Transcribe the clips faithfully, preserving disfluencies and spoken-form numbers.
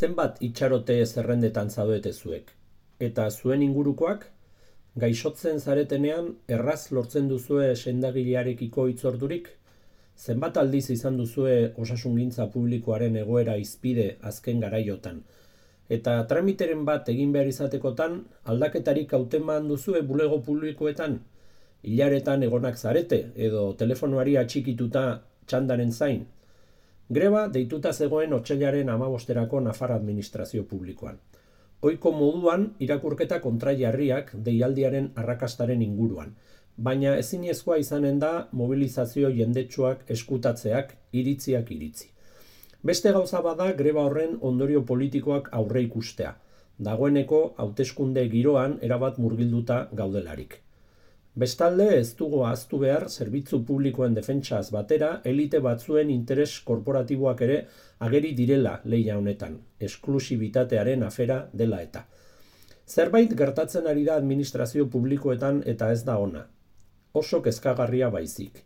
Zenbat itxarote zerrendetan zaudete zuek? Eta zuen ingurukoak? Gaixotzen zaretenean erraz lortzen duzue sendagilearekiko hitzordurik? Zenbat aldiz izan duzue osasungintza publikoaren egoera hizpide azken garaiotan? Eta tramiteren bat egin behar izatekotan, aldaketarik hauteman duzue bulego publikoetan? Hilaretan egonak zarete edo telefonoari atxikituta txandaren zain? Greba deituta zegoen otsailaren hamabosterako Nafar Administrazio Publikoan. Ohiko moduan irakurketa kontrajarriak deialdiaren arrakastaren inguruan, baina ezinezkoa izanen da mobilizazio jendetsuak eskutatzeak iritziak iritzi. Beste gauza bada greba horren ondorio politikoak aurre ikustea, dagoeneko hauteskunde giroan erabat murgilduta gaudelarik. Bestalde ez dugu ahaztu behar zerbitzu publikoen defentsaz batera elite batzuen interes korporatiboak ere ageri direla lehia honetan, esklusibitatearen afera dela eta. Zerbait gertatzen ari da administrazio publikoetan eta ez da ona. Oso kezkagarria baizik.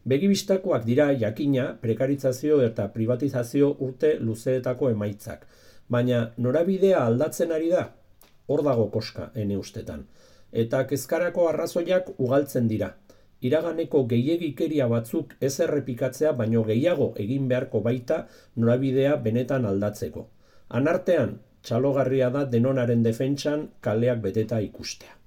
Begibistakoak dira jakina prekarizazio eta privatizazio urte luzeetako emaitzak, baina norabidea aldatzen ari da? Hor dago koska ene ustetan. Eta kezkarako arrazoiak ugaltzen dira. Iraganeko gehiegikeria batzuk ez errepikatzea baino gehiago egin beharko baita norabidea benetan aldatzeko. Anartean, txalogarria da denonaren defentsan kaleak beteta ikustea.